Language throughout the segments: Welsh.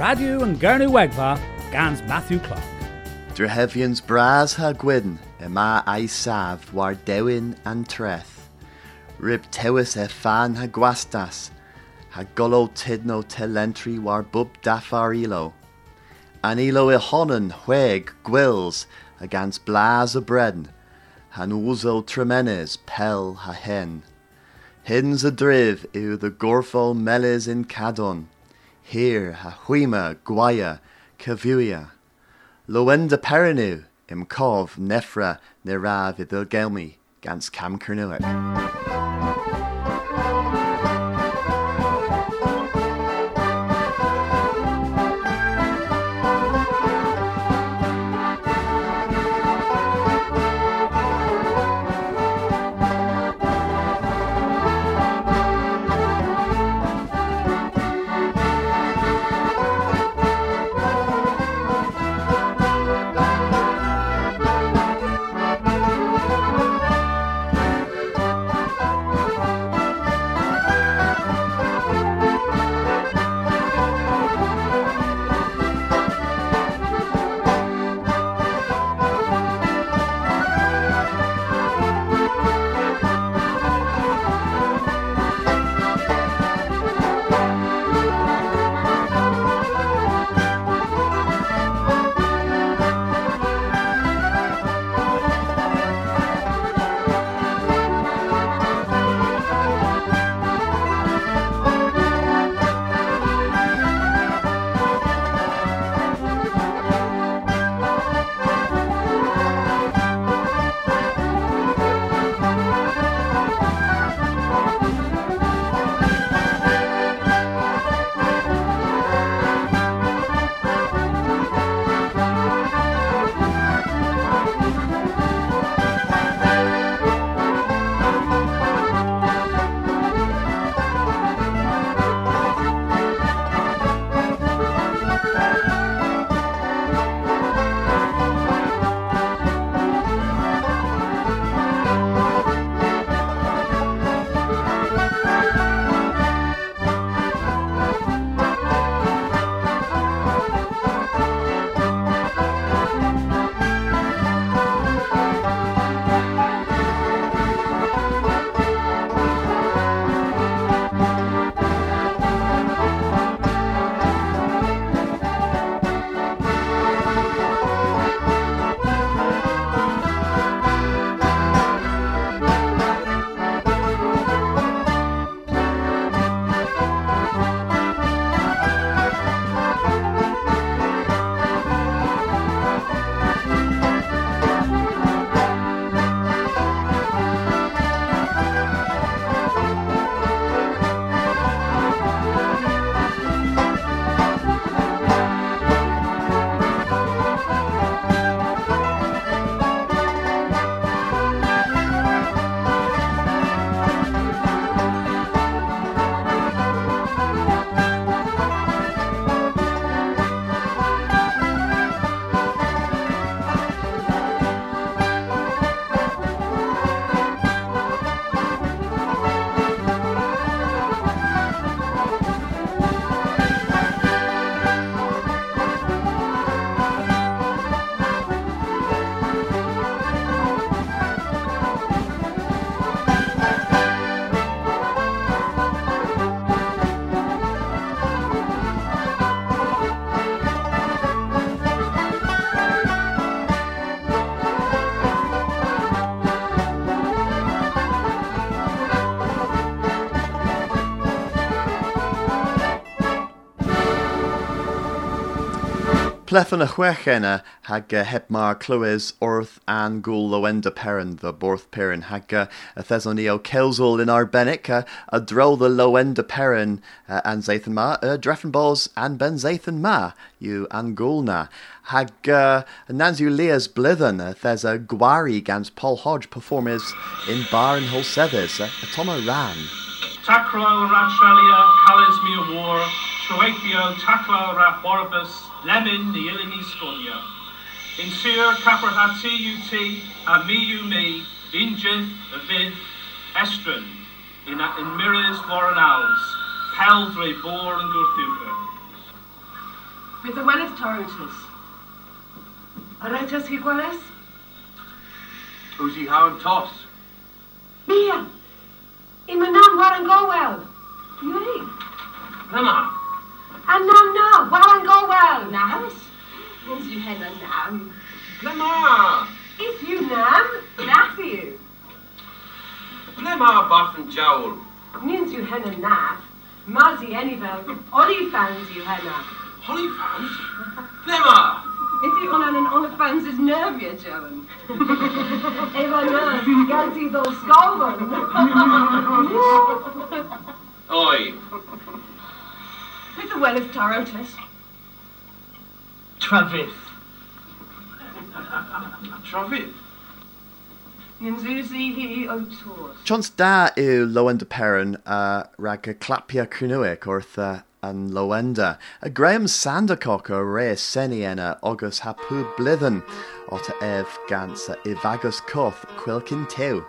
Radio and Gernu Wegva, Gans Matthew Clark. Drehevians bras ha gwyn, yma a'i saf war dewin an treth. Rib tewis e fan ha gwastas, ha golo tidno telentri war bub daffar ilo. An ilo i honan hweg gwils agans blas a bren, han wzo tremenes pel ha hen. Hins a driv yw the gorfol melis in cadon, here ha huima guaya cavuia. Lowenda perinu im cov nefra nerav idil gelmi gans cam Kernuic. Plethon y chwech hag heb mar clywys wrth an gwl Lowenda Perrin, the Borth Perrin, hag y theson ni o Celsol in arbennig, a dro the Lowenda Perrin an Zathan ma, Dreffen Bos an Ben Zathan ma, yw an gwl na. Hag nans yw Leas Blithen, thes a gwari gans Paul Hodge performers in Bar and Holsethers, a Toma Ran. Tacro Ratralia, Cales mi war, Troethio, Taclo Rathwarabus, Lemon, the Illini Sconia. In Sir, Capra ha T-U-T, a me you me, Injith, Avid, Estron, in mirrors Warren Owls, Peldre Bor and Gurthuka. With the Wellis Tarotus. Aretas Higuales? Uzi Haran Tos. Mia! Imanam Warangowel! Yuri! Lema! Anam na! Warangowel! Nas? Means you hen a nam. Lema! If you nam, nath you. Lema Barthen Jowl. Means you hen a nath. Mazi Enivel, Olifans you henna. Olifans? Lema! Is he on an Olifans is nervia, Joan? Eva na, Gansi those scolven. Oi. With the well of Tarotus. Travis. Travis? Chons da yw Lowender Peran rag y clapia Cernyweg wrth an Lowender. A Graham Sandercock o re seni enna August ha pw blithen ot ef gans Ivagus Koth Quilkin Tew.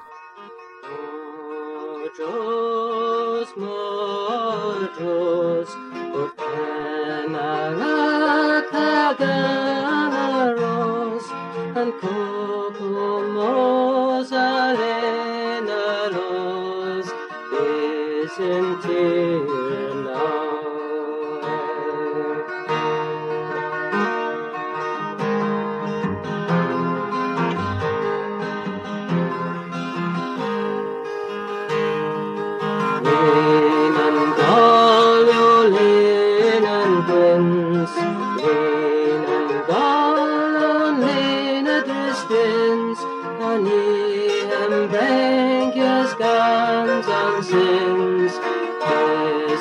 Dros mordros o penaracagaros and cocomos alenaros is in tear now.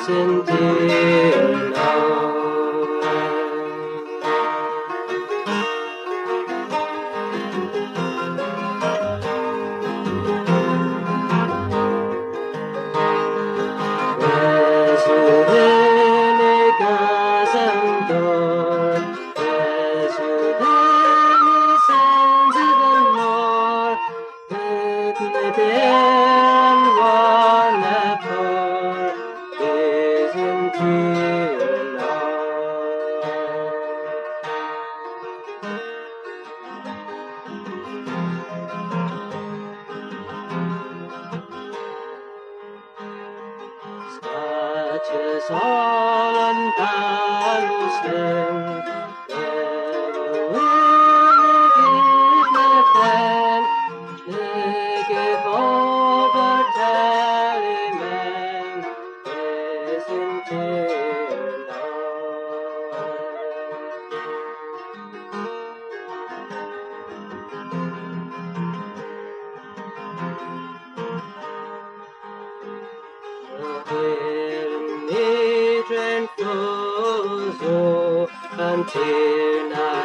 In tear now.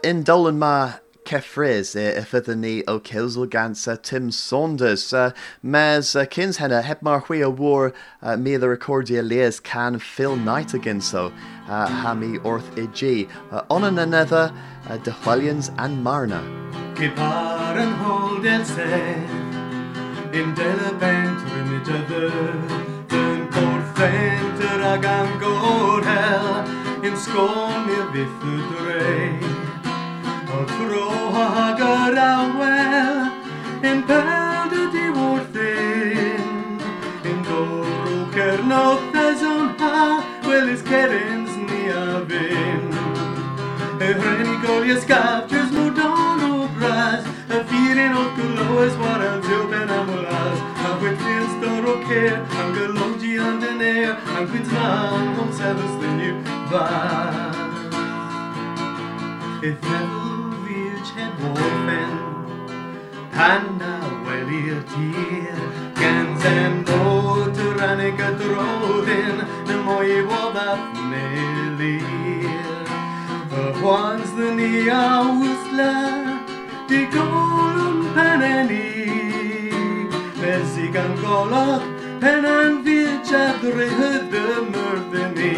In Dolan ma Cefriz ifyddyn ni o Cilsel gans Tim Saunders. Mes cyns henna heb mar hwy o war mi the recordia leas can Phil Knight again so ha mi orth IG. On an another de Huellians and Marna. Gipar and hold el se in delabent rimidother den porfenter ag an gorhel in scornir vithudre. O tro hag yr awel in peld y diwrthyn in dorw cernodd o'n ha welis cerins ni a fyn. Y hreni golias gafjers mwdon o bras y ffirin o'r glywes waral diw ben amwlas a chwythi'n stor o ceir am gylongi an dyneir am chwytnan o'n sefys ddyn fas. If ever heb orffen pan na welir tir gans en bod rannig y droddyn na mwy i woddaf melir. Y hwans ddyn ni a wsla Di golwn peneni Mesi gan golog penan fyd a dryhydd y myrddyn ni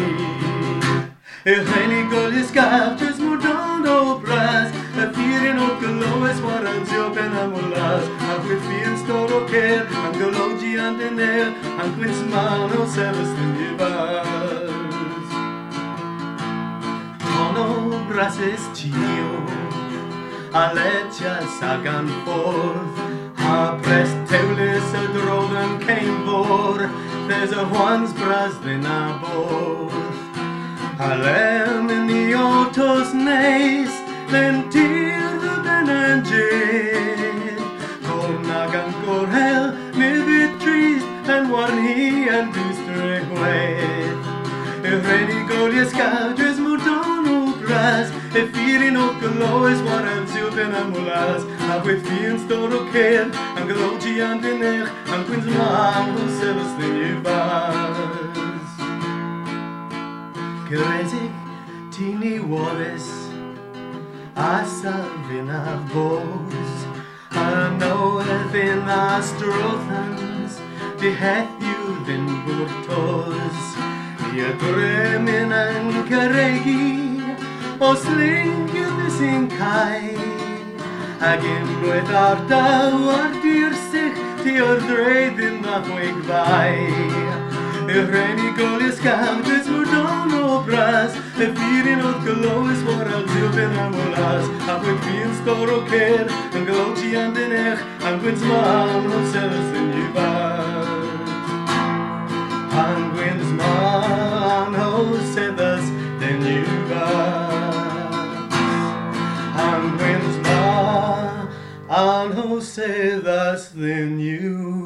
Yrreni golis gaftres mordon o bras Y ffirin o gylowes warantio pen am olas A chwythi'n stor o cer Am gylogi an dener Am gwynt man o sefys yn ifas Tono brases tio A letias ag an ffordd A pres teulus y drodd yn ceinfor There's a Juan's bras ddyn a bodd Alem in the autos neis Lentir the ben and jid Con ag an gorhel Nid trist En warn hi en dwstre hwedd Y rhaid golias gadres mordon o bras Y ffirin o goloes waran syw ben am olas A chwythi'n stor o cer Am gologi an dynech Am gwynt man o sefys ddyn i fas Cyredig ti ni Wallace A salfin a bos A noedd a strothans Di heddiw ddyn bwrtos Mi y dremyn yn cyregu O slingydd sy'n cae Ag unwaith ar daw ar dir sych Ti o'r dreiddyn a chwig fai Y rhaid golias gawdres mordon o bras Y ffirin oedd gylowys waral diw ben am olas A chwyth fi'n stor o cer Yn gylowti an dynech Am gwynt man o sefys yn ifad An gwynt man o sefys yn ifad An gwynt man o sefys yn ifad.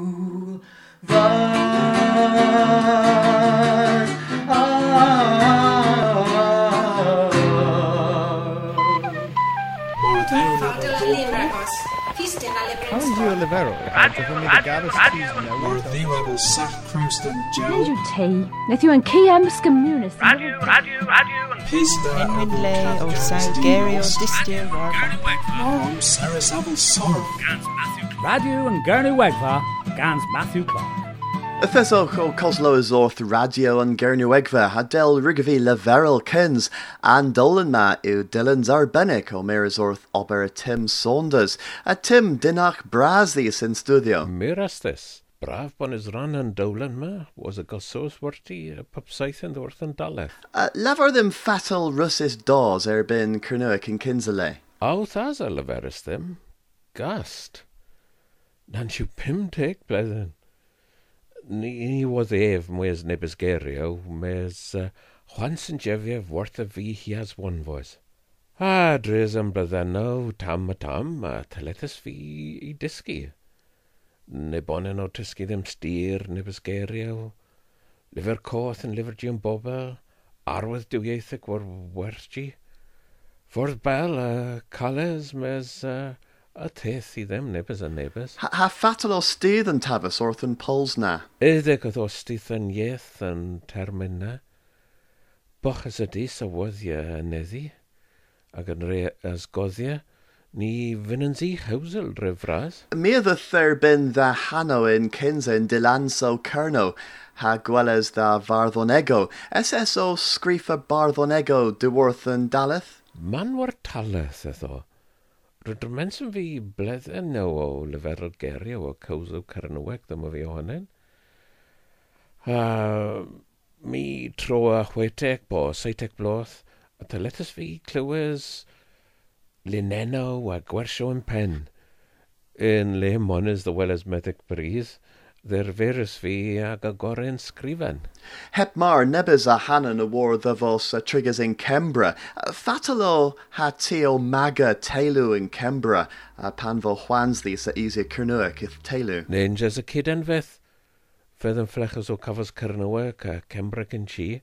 Radio and Gernywegva gans Matthew Clark. Ytheswch o Coslo is orth radio an Gernywegva ha del Rigavi leverel Kins an Dolan ma yw Dylan's arbennig o mir is orth ober Tim Saunders. A Tim dinach brasddi in studio. Mirastis. Braf bon is ran an Dolan ma was a gosos werti pupsaith yn wrth yn daleth. Lefer ddim fatal Russis dos erbyn Cernuic yn Kinsale. Aw thas a leferus ddim. Gast. Nan siw 50 blwyddyn. Ni was ef mwys nebys gerio, mes Juan sy'n jefiev worth a fi hi as one voice. A dres am blyddenno, tam a tam, a telethus fi i dysgu. Ne bonen o tysgu ddim styr, nebys gerio. Lyfr coth yn lyfr gion bobl, arwydd dwyieithig war werthgi. Ffordd bel a cales mes a teth i ddim nebys a nebys. Ha fatal o stydd yn tafus wrth yn pols na? Ydyg oedd o stydd yn ieith yn termyn na. Boch as y dis a wyddia yn eddi, ac yn re as goddia, ni fynnans i hawsel rhyfras. Mi oedd y therbyn dda hano in Kinsa in Dilanso Cerno, ha gweles dda Farddonego. SSO sgrifa Barddonego diwrth yn daleth? Man war taleth etho. Rydrmens yn fi bledden nhw o lyferol gerio o cawsw Cernyweg ddim o fi ohonyn. Mi tro a 60 bo 70 bloth, a telethus fi clywes linenno a gwersio yn pen. In le mones the well as medic breeze, ddyr ferus fi ag agoren sgrifen. Hep mar nebys a hanan y war ddyfos a triggers in Kembra. Fatalo ha ti o maga teilu in Kembra, a pan fo Juansdi sa easier Cernuic ith teilu. Ninjas a kid enfeth. Fydd yn flechas o cafos Cernyweg a Kembra yn chi,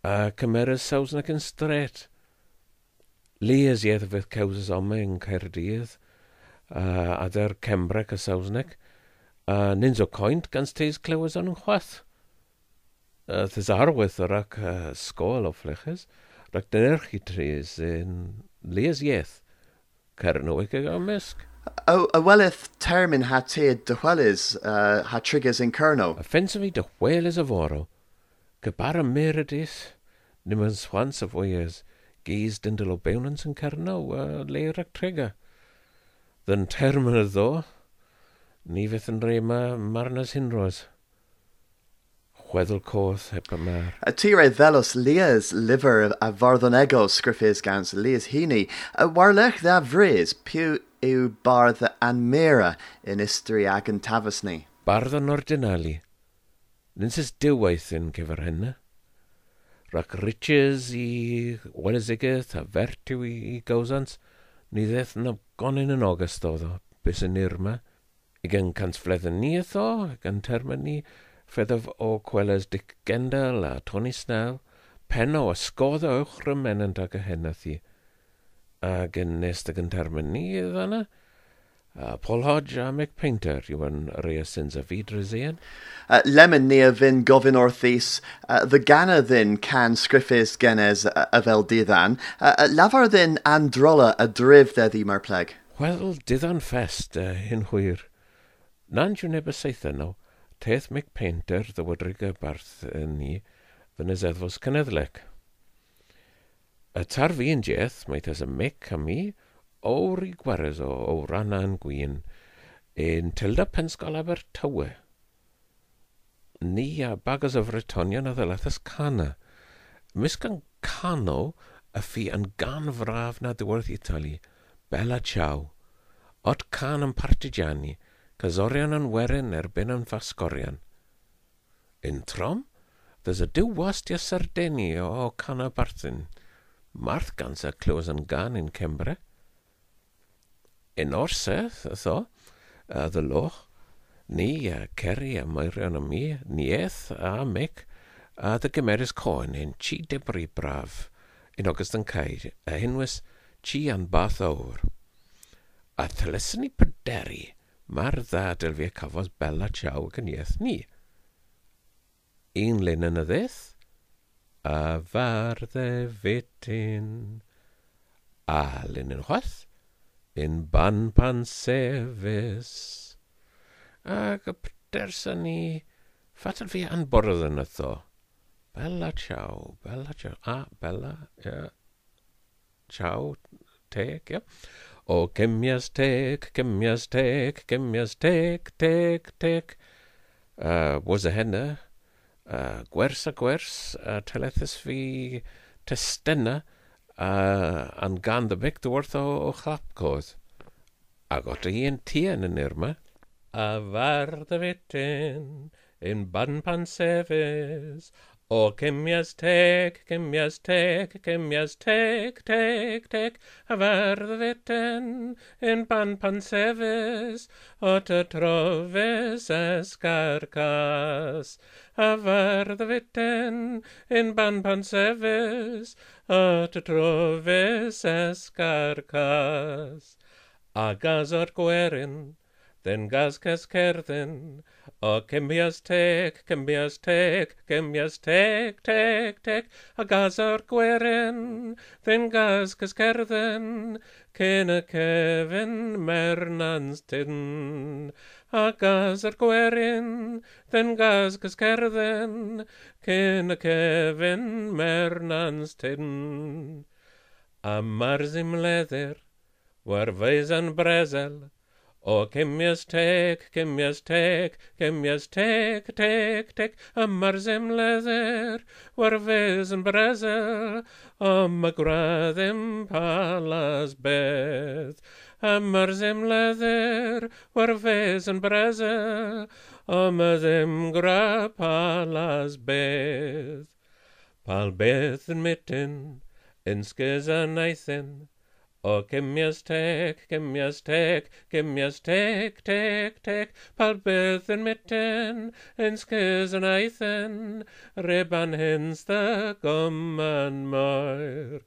a cymeras Saesneg yn stret. Lias iedd fydd cawsys ome yn Caerdydd, a der Cembreg a Saesneg, a nins o coint gans teis clywes o'n chwath. Thys arwydd o'r ac sgol o flechas, rhaid dynerch i tris yn lias iedd. Cernywig ag o misg. O, a welith termin ha tead dychwelis ha triggers in Kerno. A ffens fi dychwelis a foro. Gybar y meredith, nim yn swans a fwyas, gys dyndel o bewnans yn Kerno, leir ac trigger. Dyn termin y ddo, ni fydd yn rei ma marnas hinros. Chweddel coth heb y mar. A tire velos lias liver a vardonego scriffis gans lias hini. A warlech dda vris pew yw bardd anmira in istri ag yn tafasni. Bardd yn ordinali. Nins is diwaith yn cyfer hynna. Rac riches i welesigaeth a fertiw i gawsans, ni ddeth na gonyn yn ogystal oedd o, bys yn irma. Ag cant fledd yn ni ytho, ag yn termyn ni, feddaf o Cweles Dick Gendel a Tony Snell, penno a sgodda uwch rymenant ag y hennath i. Ac yn nest ag yn termyn ni yna, a Paul Hodge a Mick Painter yw yn rei syns a fi drysien. Lemon ni a fyn gofyn orthis, the ganna ddyn can scriffis genes a fel diddan, lafar ddyn androla a drif ddeddi mar pleg. Wel, diddan fest hyn hwyr. Nan yw neb y seitha no, teth Mick Painter ddywydrig y barth ni ddyn y zeddfos cyneddlec. Y tar fi yn jeth, mae tes y Mick a mi, o'r i gwares o rana'n gwyn, yn tilda pensgol Abertawe. Ni a bagas o Fretonion a ddylethas cana. Misg yn cano y ffi yn gan fraf na diwrth Itali, Bella Ciao. Ot can yn partigiani, cazorion yn werin erbyn yn ffasgorion. In trom, there's a diw wast ia Sardini o cana barthyn. Marth gansa clywes yn gan in Cembre. In orseth, ytho, the loch, ni a Kerry a Meirion a mi, ni eth a Mick, a dy gymerys coen in chi debri braf, in ogystal yn caid, a hinwys chi an bath awr. A thelysyn ni pyderi, mae'r dda dylfi a cafodd Bella Ciao ac yn ieth ni. Un lyn yn y ddydd, a fardde fityn, a lyn yn chwath, in ban pan sefus. Ac y pdersa ni, fatal fi anbwrdd yn ytho. Bella Ciao, Bella Ciao, a Bella, yeah. Ciao, teg, yeah. O cemias teg, cemias teg, cemias teg, teg, teg. Was a henna, gwers a gwers, telethus fi testena, an gan the mic dworth o chlapcodd. Ac ot i yn tien yn irma. A fardd y fityn, in ban pan sefus, o cemias teg, cemias teg, cemias teg, teg, teg, a fardd y fityn, in ban pan sefus, o ty trofus escarcas. A fardd y fityn, in ban pan sefus, o ty trofus escarcas. A gas o'r gwerin, then gas ces cerddin, o cemias teg, cemias teg, cemias teg, teg, teg, a gas o'r gwerin, then gas ces cerddin, cyn y cefn mernans tyn. A gas o'r gwerin, then gas ces cerddin, cyn y cefn mernans tyn. A marzim leddir, war feis brezel, o cemias teg, cemias teg, cemias teg, teg, teg, a marzim leddir, war feis yn brezel, o ma graddim palas beth. A marzim leddir, war feis yn brezel, o ma ddim gra palas beth. Pal beth yn mityn, yn sgys yn aethyn, O cemias teg, cemias teg, cemias teg, teg, teg, pal bydd yn mitten, yn sgys yn aethyn, riban hins the gomman moir.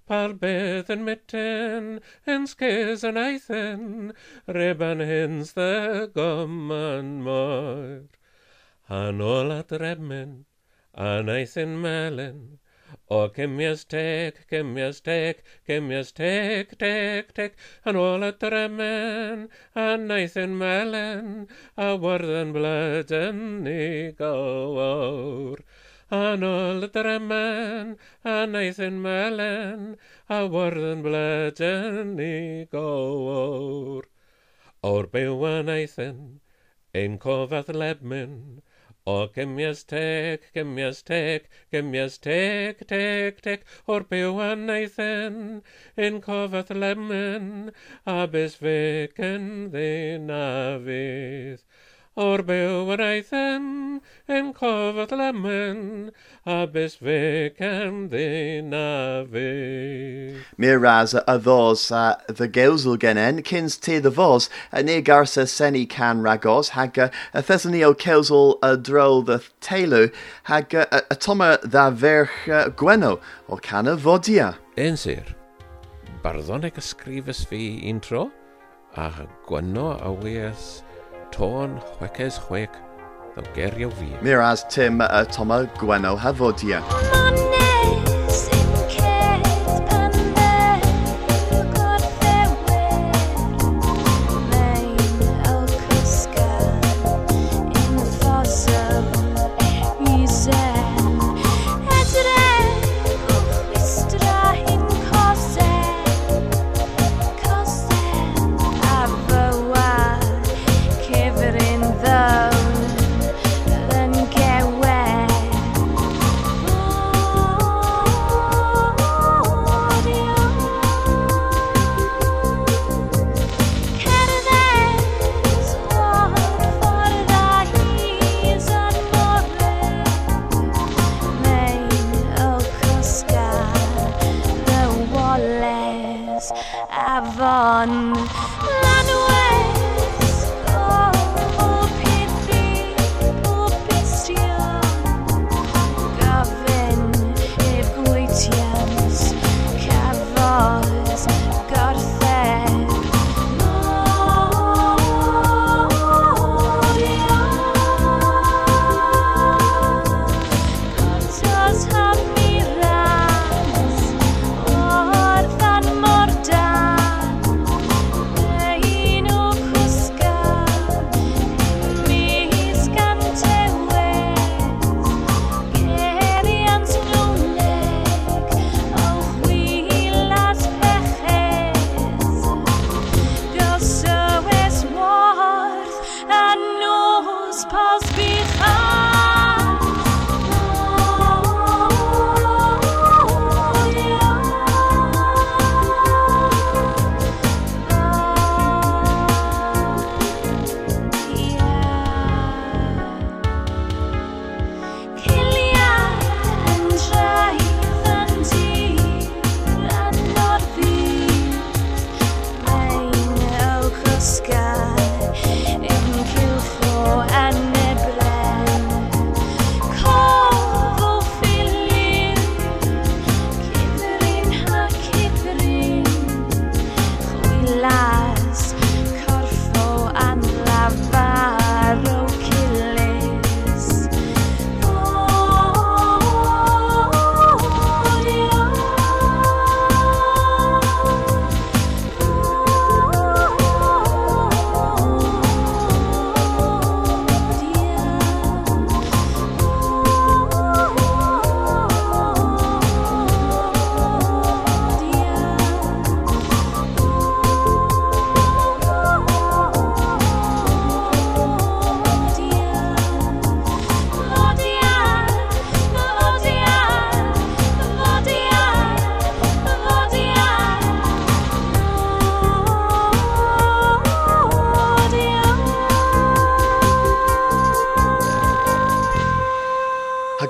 Pal bydd yn mitten, yn sgys yn aethyn, riban hins the gomman moir. Han ola dremyn, an aethyn melyn, O cemias tec, cemias tec, cemias tec, tec, tec, an ôl y dremen, a naethyn melen, a wyrdd blydyn ni gywr. An ôl y dremen, a naethyn melen, a wyrdd blydyn ni gywr. O'r byw yn aethyn, ein cofath lebmyn, O cemias tec, cemias tec, cemias tec, tec, tec, o'r byw yn aethyn, ein cofath lemyn, a bys fecyn ddyn a fydd. O'r byw yn aethyn, ein cofath lemyn, a bys fecyn ddyn a fydd. Mir ras a ddos a the gewsel genen, cyns te the vos, a ne garsa seni can ragos, hag a thesani o cewsel a dro the telu, hag a toma dda verch Gwenno o cana vodia. Un sir, barddoneg ysgrifes fi un tro, a Gwenno a weas tôn chweces chwec, ddo gerio fi. Mir as Tim a toma Gwenno havodia.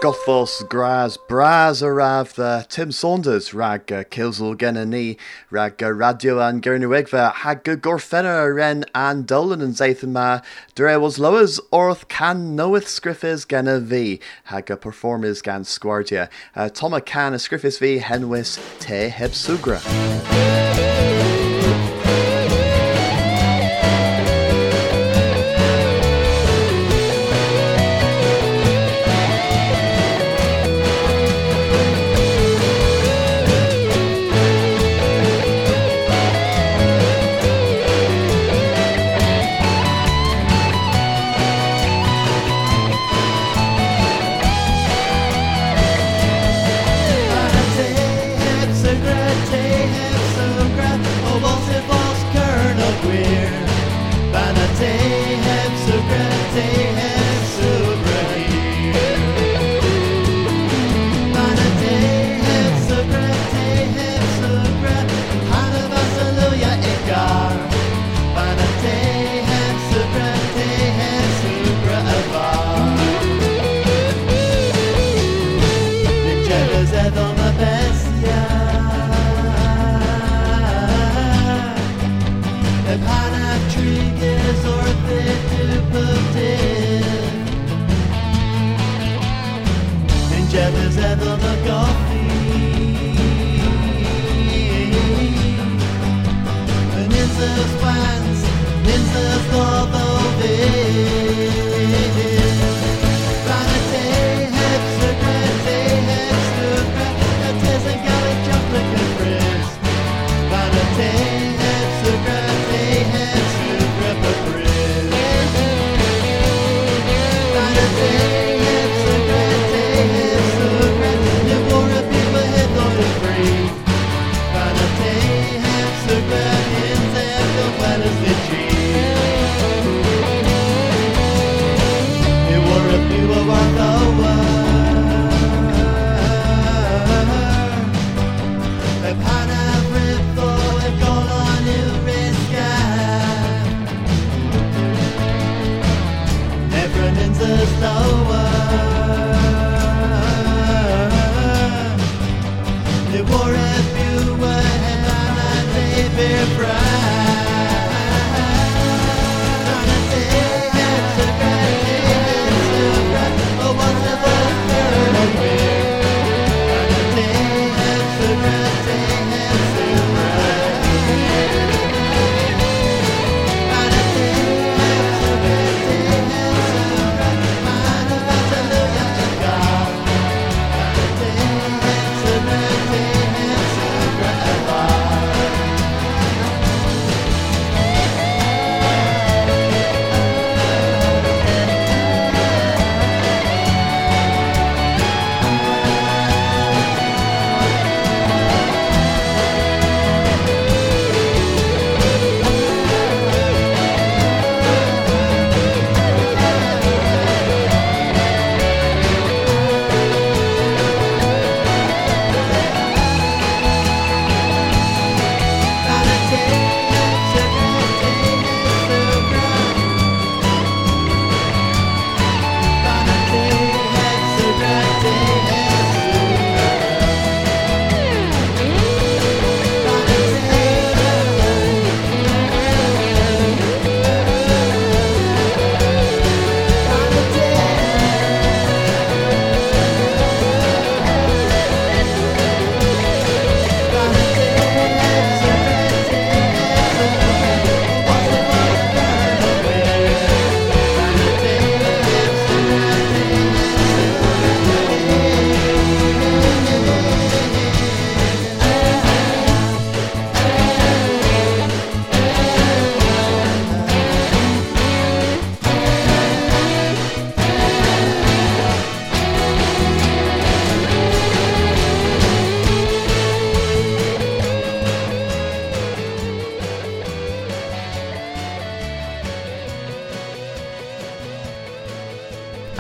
Gothos gras bras arav the Tim Saunders rag Kilsel Genani rag Radio an Gernewegva hag Gorfenna ren an Dolan and Zathan ma dre was lowers orth can knoweth scriffis genna v hag performers gan squardia Toma can scriffis v henwis te heb sugra. te heb sugra, o was vos Colonel Gwir. Banna te heb sugra, te heb sugra here. Banna te heb sugra, te heb sugra, Hanna Vasaluja Igar. Banna te heb sugra, te heb sugra avar. Jealous of my best, yeah. If Hannah Triggers or the Dupe. And jealous of my coffee. And it's a swans, it's a love of it.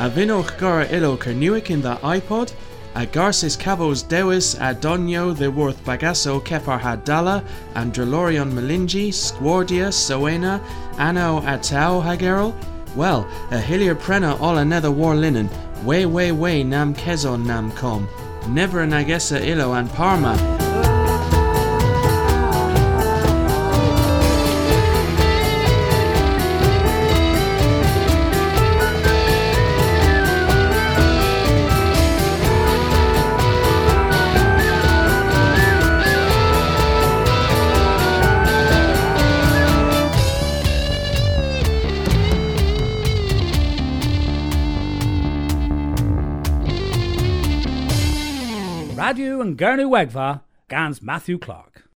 A vinwch gora ilo Kernuic in the iPod, a Garcis Cabos Dewis a Donio the Worth Bagasso Kepar Hadala and Drelorion Melingi, Squardia, Soena, Anno Atau Hagerl. Well, a Hillier Prena all another war linen, way way way nam kezon nam com, never an agessa ilo and Parma. Radio and Gurney Wegva, Gans Matthew Clark.